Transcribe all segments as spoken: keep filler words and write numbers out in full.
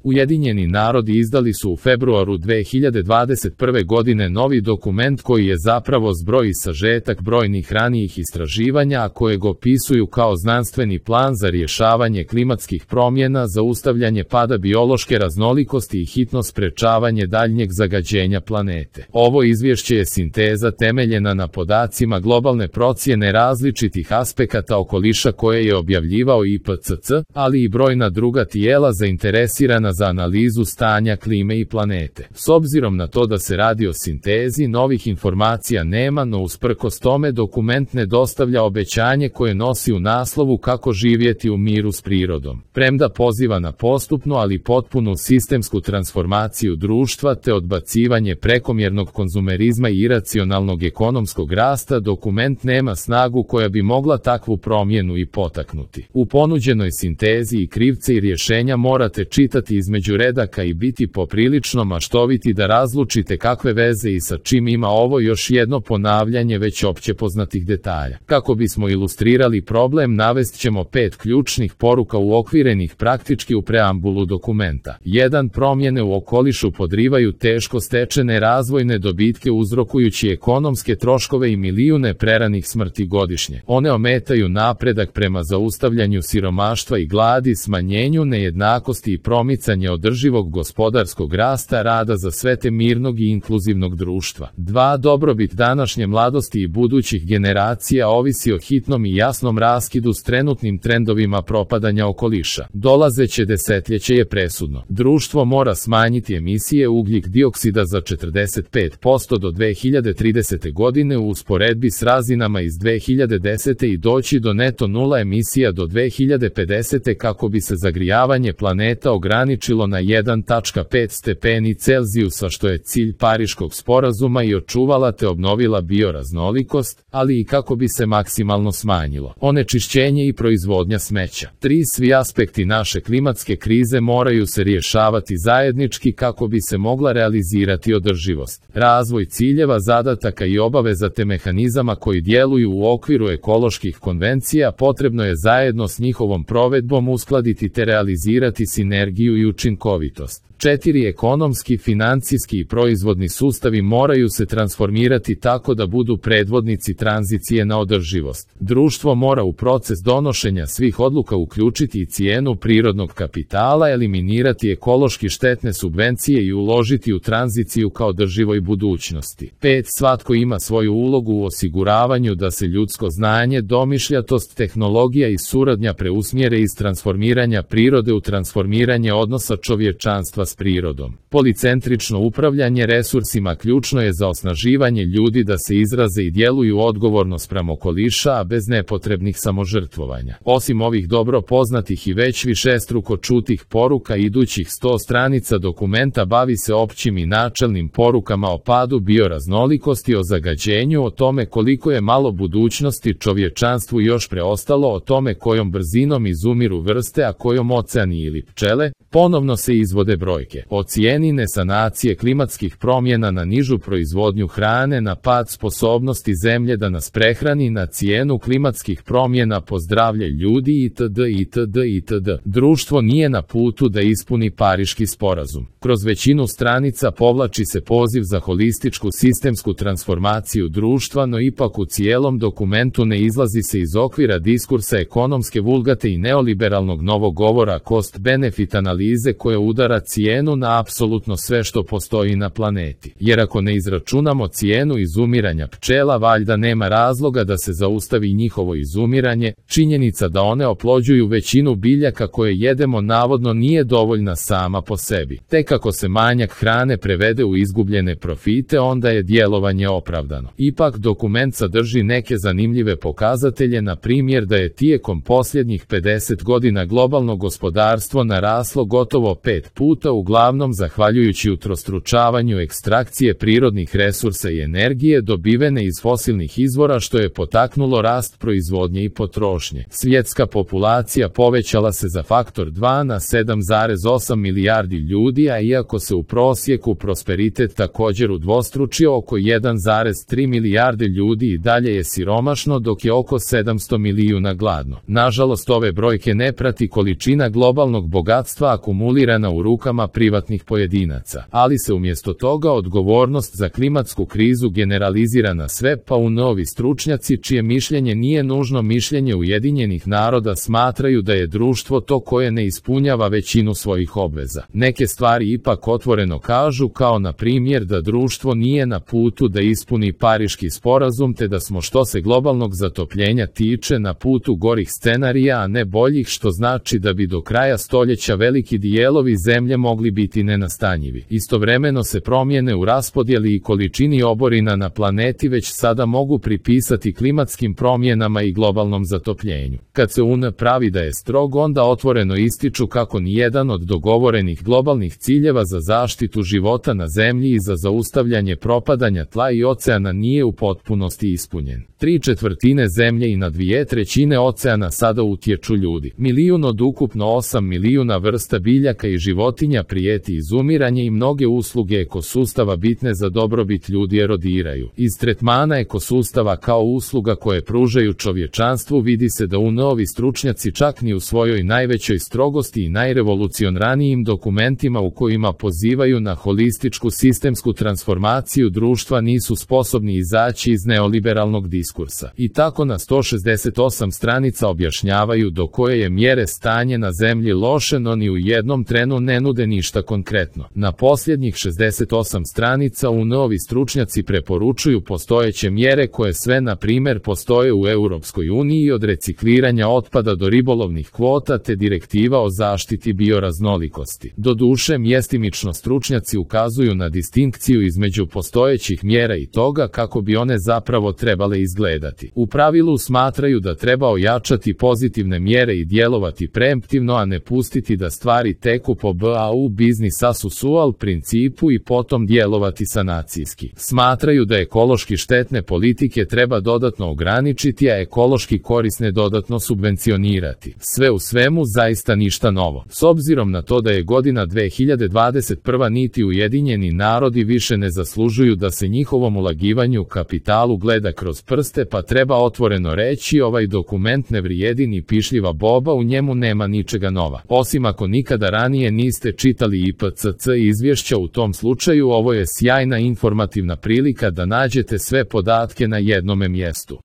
Ujedinjeni narodi izdali su u februaru dve hiljade dvadeset prve. godine novi dokument koji je zapravo zbroj i sažetak brojnih ranijih istraživanja, a kojeg opisuju kao znanstveni plan za rješavanje klimatskih promjena, zaustavljanje pada biološke raznolikosti i hitno sprečavanje daljnjeg zagađenja planete. Ovo izvješće je sinteza temeljena na podacima globalne procjene različitih aspekata okoliša koje je objavljivao I P C C, ali i brojna druga tijela zainteresirana za analizu stanja klime i planete. S obzirom na to da se radi o sintezi, novih informacija nema, no usprkos tome dokument ne dostavlja obećanje koje nosi u naslovu kako živjeti u miru s prirodom. Premda poziva na postupnu ali potpunu sistemsku transformaciju društva te odbacivanje prekomjernog konzumerizma i iracionalnog ekonomskog rasta, dokument nema snagu koja bi mogla takvu promjenu i potaknuti. U ponuđenoj sintezi i krivce i rješenja morate čitati između redaka i biti poprilično maštoviti da razlučite kakve veze i sa čim ima ovo još jedno ponavljanje već opće poznatih detalja. Kako bismo ilustrirali problem, navest ćemo pet ključnih poruka uokvirenih praktički u preambulu dokumenta. jedan Promjene u okolišu podrivaju teško stečene razvojne dobitke uzrokujući ekonomske troškove i milijune preranih smrti godišnje. One ometaju napredak prema zaustavljanju siromaštva i gladi, smanjenju nejednakosti i promicanje održivog gospodarskog rasta, rada za sve te mirnog i inkluzivnog društva. dva Dobrobit današnje mladosti i budućih generacija ovisi o hitnom i jasnom raskidu s trenutnim trendovima propadanja okoliša. Dolazeće desetljeće je presudno. Društvo mora smanjiti emisije ugljik dioksida za četrdeset pet posto do dve hiljade tridesete. godine u usporedbi s razinama iz dve hiljade desete. i doći do neto nula emisija do dve hiljade pedesete. kako bi se zagrijavanje planeta ograničilo na jedan zarez pet stepeni Celzijusa, što je cilj Pariškog sporazuma, i očuvala te obnovila bioraznolikost, ali i kako bi se maksimalno smanjilo onečišćenje i proizvodnja smeća. tri Svi aspekti naše klimatske krize moraju se rješavati zajednički kako bi se mogla realizirati održivost. Razvoj ciljeva, zadataka i obaveza te mehanizama koji djeluju u okviru ekoloških konvencija potrebno je zajedno s njihovom provedbom uskladiti te realizirati sinergiju i učinkovitost. četiri Ekonomski, financijski i proizvodni sustavi moraju se transformirati tako da budu predvodnici tranzicije na održivost. Društvo mora u proces donošenja svih odluka uključiti i cijenu prirodnog kapitala, eliminirati ekološki štetne subvencije i uložiti u tranziciju kao održivoj budućnosti. pet Svatko ima svoju ulogu u osiguravanju da se ljudsko znanje, domišljatost, tehnologija i suradnja preusmjere iz transformiranja prirode u transformiranje odnosa čovječanstva s prirodom. Policentrično upravljanje resursima ključno je za osnaživanje ljudi da se izraze i djeluju odgovorno spram okoliša, a bez nepotrebnih samožrtvovanja. Osim ovih dobro poznatih i već višestruko čutih poruka, idućih sto stranica dokumenta bavi se općim i načelnim porukama o padu bioraznolikosti, o zagađenju, o tome koliko je malo budućnosti čovječanstvu još preostalo, o tome kojom brzinom izumiru vrste, a kojom oceani ili pčele. Ponovno se izvode brojke o cijeni nesanacije klimatskih promjena na nižu proizvodnju hrane, na pad sposobnosti zemlje da nas prehrani, na cijenu klimatskih promjena po zdravlje ljudi itd. itd. itd. Društvo nije na putu da ispuni Pariški sporazum. Kroz većinu stranica povlači se poziv za holističku sistemsku transformaciju društva, no ipak u cijelom dokumentu ne izlazi se iz okvira diskursa ekonomske vulgate i neoliberalnog novog govora cost-benefit analize koja udara cijenu na apsolutno sve što postoji na planeti. Jer ako ne izračunamo cijenu izumiranja pčela, valjda nema razloga da se zaustavi njihovo izumiranje. Činjenica da one oplođuju većinu biljaka koje jedemo navodno nije dovoljna sama po sebi. Tek ako se manjak hrane prevede u izgubljene profite, onda je djelovanje opravdano. Ipak dokument sadrži neke zanimljive pokazatelje, na primjer da je tijekom posljednjih pedeset godina globalno gospodarstvo naraslo gotovo pet puta u uglavnom zahvaljujući utrostručavanju ekstrakcije prirodnih resursa i energije dobivene iz fosilnih izvora, što je potaknulo rast proizvodnje i potrošnje. Svjetska populacija povećala se za faktor dva na sedam zarez osam milijardi ljudi, a iako se u prosjeku prosperitet također udvostručio, oko jedan zarez tri milijarde ljudi i dalje je siromašno, dok je oko sedamsto milijuna gladno. Nažalost, ove brojke ne prati količina globalnog bogatstva akumulirana u rukama privatnih pojedinaca, ali se umjesto toga odgovornost za klimatsku krizu generalizira na sve, pa u novi stručnjaci, čije mišljenje nije nužno mišljenje Ujedinjenih naroda, smatraju da je društvo to koje ne ispunjava većinu svojih obveza. Neke stvari ipak otvoreno kažu, kao na primjer da društvo nije na putu da ispuni Pariški sporazum, te da smo što se globalnog zatopljenja tiče na putu gorih scenarija, a ne boljih, što znači da bi do kraja stoljeća veliki dijelovi zemlje mogli biti nenastanjivi. Istovremeno se promjene u raspodjeli i količini oborina na planeti već sada mogu pripisati klimatskim promjenama i globalnom zatopljenju. Kad se U N pravi da je strog, onda otvoreno ističu kako nijedan od dogovorenih globalnih ciljeva za zaštitu života na zemlji i za zaustavljanje propadanja tla i oceana nije u potpunosti ispunjen. Tri četvrtine zemlje i na dvije trećine oceana sada utječu ljudi. Milijun od ukupno osam milijuna vrsta biljaka i životinja prijeti izumiranje i mnoge usluge ekosustava bitne za dobrobit ljudi erodiraju. Iz tretmana ekosustava kao usluga koje pružaju čovječanstvu vidi se da u novi stručnjaci čak ni u svojoj najvećoj strogosti i najrevolucionranijim dokumentima u kojima pozivaju na holističku sistemsku transformaciju društva nisu sposobni izaći iz neoliberalnog diskursa. I tako na sto šezdeset osam stranica objašnjavaju do koje je mjere stanje na zemlji loše, no ni u jednom trenu ne nude ništa konkretno. Na posljednjih šezdeset osam stranica u novi stručnjaci preporučuju postojeće mjere koje sve na primjer postoje u Europskoj uniji, od recikliranja otpada do ribolovnih kvota te direktiva o zaštiti bioraznolikosti. Doduše, mjestimično stručnjaci ukazuju na distinkciju između postojećih mjera i toga kako bi one zapravo trebale izgledati. U pravilu smatraju da treba ojačati pozitivne mjere i djelovati preemptivno, a ne pustiti da stvari teku po B A U business as usual principu i potom djelovati sanacijski. Smatraju da ekološki štetne politike treba dodatno ograničiti, a ekološki korisne dodatno subvencionirati. Sve u svemu zaista ništa novo. S obzirom na to da je godina dve hiljade dvadeset prva niti Ujedinjeni narodi više ne zaslužuju da se njihovom ulagivanju kapitalu gleda kroz prste, pa treba otvoreno reći, ovaj dokument ne vrijedi ni pišljiva boba, u njemu nema ničega nova. Osim ako nikada ranije niste čitali I P C C izvješća, u tom slučaju ovo je sjajna informativna prilika da nađete sve podatke na jednome mjestu.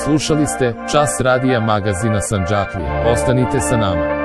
Slušali ste Čas radija magazina Sandžaklija. Ostanite sa nama.